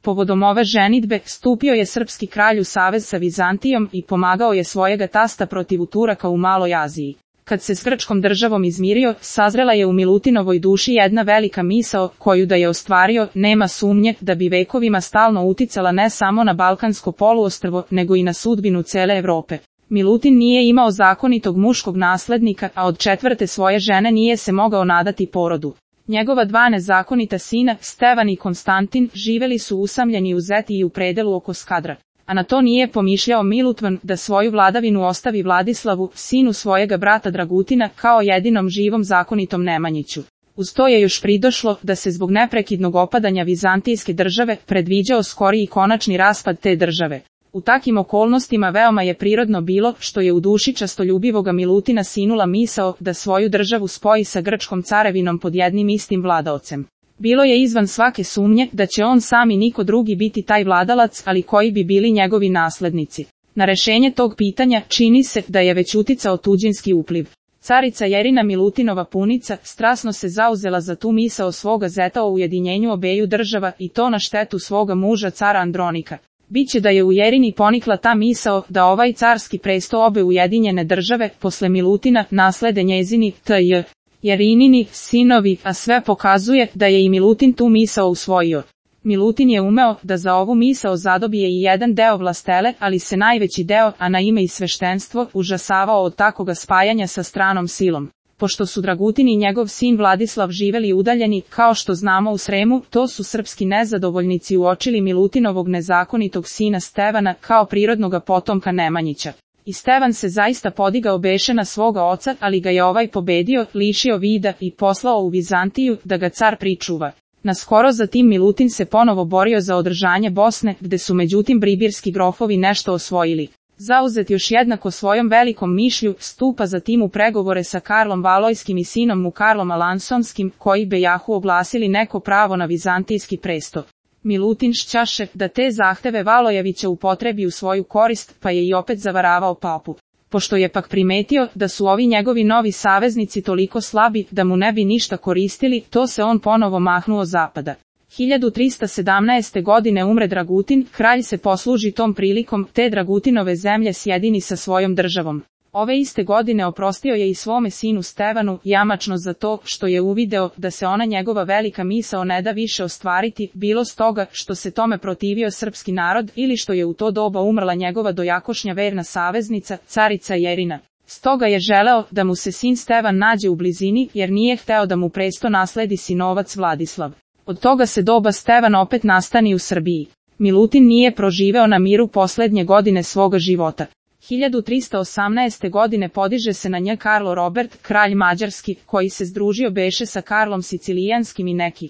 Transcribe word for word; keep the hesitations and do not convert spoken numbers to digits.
Povodom ove ženidbe, stupio je srpski kralj u savez sa Vizantijom i pomagao je svojega tasta protiv Turaka u Maloj Aziji. Kad se s grčkom državom izmirio, sazrela je u Milutinovoj duši jedna velika misao, koju da je ostvario, nema sumnje da bi vekovima stalno uticala ne samo na Balkansko poluostrvo, nego i na sudbinu cele Evrope. Milutin nije imao zakonitog muškog naslednika, a od četvrte svoje žene nije se mogao nadati porodu. Njegova dva nezakonita sina, Stevan i Konstantin, živeli su usamljeni u Zeti i u predelu oko Skadra. A na to nije pomišljao Milutvan da svoju vladavinu ostavi Vladislavu, sinu svojega brata Dragutina, kao jedinom živom zakonitom Nemanjiću. Uz to je još pridošlo da se zbog neprekidnog opadanja vizantijske države predviđao skori i konačni raspad te države. U takim okolnostima veoma je prirodno bilo što je u duši častoljubivoga Milutina sinula misao da svoju državu spoji sa grčkom carevinom pod jednim istim vladaocem. Bilo je izvan svake sumnje da će on sam i niko drugi biti taj vladalac, ali koji bi bili njegovi naslednici. Na rešenje tog pitanja čini se da je već uticao tuđinski upliv. Carica Jerina Milutinova punica strasno se zauzela za tu misao svoga zeta o ujedinjenju obeju država i to na štetu svoga muža cara Andronika. Biće da je u Jerini ponikla ta misao da ovaj carski presto obe ujedinjene države posle Milutina naslede njezini t.j. Jerinini sinovi, a sve pokazuje da je i Milutin tu misao usvojio. Milutin je umeo da za ovu misao zadobije i jedan deo vlastele, ali se najveći deo, a na ime i sveštenstvo, užasavao od takoga spajanja sa stranom silom. Pošto su Dragutin i njegov sin Vladislav živeli udaljeni, kao što znamo u Sremu, to su srpski nezadovoljnici uočili Milutinovog nezakonitog sina Stevana kao prirodnoga potomka Nemanjića. I Stevan se zaista podigao beše na svoga oca, ali ga je ovaj pobedio, lišio vida i poslao u Vizantiju da ga car pričuva. Naskoro zatim Milutin se ponovo borio za održanje Bosne, gde su međutim bribirski grofovi nešto osvojili. Zauzet još jednako svojom velikom mišlju, stupa zatim u pregovore sa Karlom Valojskim i sinom mu Karlom Alansonskim, koji bejahu oglasili neko pravo na vizantijski presto. Milutin šćaše da te zahteve Valojevića upotrebi u svoju korist, pa je i opet zavaravao papu. Pošto je pak primetio da su ovi njegovi novi saveznici toliko slabi da mu ne bi ništa koristili, to se on ponovo mahnuo zapada. hiljadu trista sedamnaeste. godine umre Dragutin, kralj se posluži tom prilikom, te Dragutinove zemlje sjedini sa svojom državom. Ove iste godine oprostio je i svome sinu Stevanu, jamačno za to što je uvideo da se ona njegova velika misao ne da više ostvariti, bilo stoga što se tome protivio srpski narod ili što je u to doba umrla njegova dojakošnja verna saveznica, carica Jerina. Stoga je želeo da mu se sin Stevan nađe u blizini, jer nije hteo da mu presto nasledi sinovac Vladislav. Od toga se doba Stevan opet nastani u Srbiji. Milutin nije proživeo na miru poslednje godine svoga života. hiljadu trista osamnaeste. godine podiže se na nj Karlo Robert, kralj Mađarski, koji se združio beše sa Karlom Sicilijanskim i neki